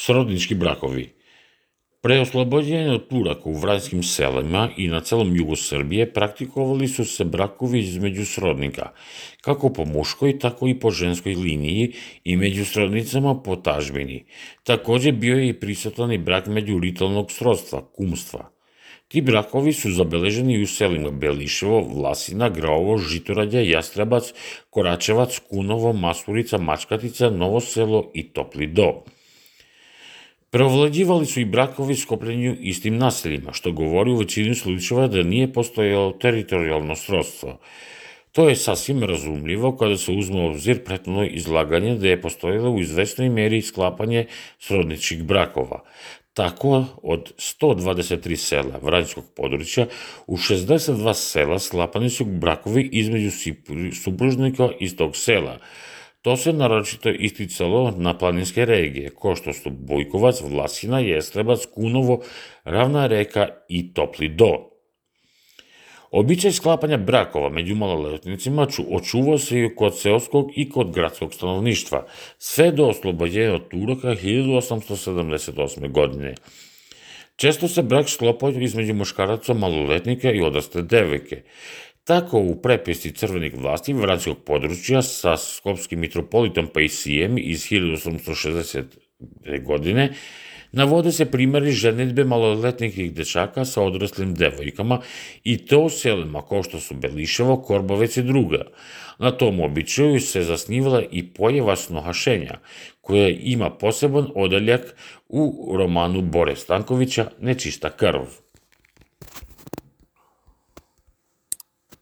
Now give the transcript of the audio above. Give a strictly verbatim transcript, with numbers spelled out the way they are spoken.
Srodnički brakovi. Pre oslobođenja od Turaka u vranjskim selima i na celom jugu Srbije praktikovali su se brakovi između srodnika, kako po muškoj, tako i po ženskoj liniji i među srodnicama po tažbini. Takođe bio je i prisutan i brak među ritualnog srodstva, kumstva. Ti brakovi su zabeleženi u selima Beliševo, Vlasina, Graovo, Žitorađe, Jastrebac, Koračevac, Kunovo, Masurica, Mačkatica, Novo Selo i Topli Do. Preovlađivali su i brakovi skopljeni istim naseljima, što govori u većini slučajeva da nije postojalo teritorijalno srodstvo. To je sasvim razumljivo kada se uzme u obzir prethodno izlaganje da je postojalo u izvesnoj meri sklapanje srodničkih brakova. Tako, od sto dvadeset tri sela vranjskog područja, u šezdeset dva sela sklapani su brakovi između supružnika iz tog sela. To se naročito isticalo na planinske regije, kao što su Bojkovac, Vlasina, Jestrebac, Kunovo, Ravna Reka i Topli Do. Običaj sklapanja brakova među maloletnicima očuvao se i kod seoskog i kod gradskog stanovništva, sve do oslobođenja od Turaka hiljadu osamsto sedamdeset osme. godine. Često se brak sklopao između muškaraca maloletnika i odrasle devojke. Tako u prepisci crvenih vlasti vranjskog područja sa skopskim mitropolitom Pajsijem iz hiljadu osamsto šezdesete. godine navode se primeri ženidbe maloletnih dečaka sa odraslim devojkama i to u selima kao što su Beliševo, Korbovec i druga. Na tom običaju se zasnivala i pojava snohašenja, koja ima poseban odeljak u romanu Bore Stankovića Nečista krv.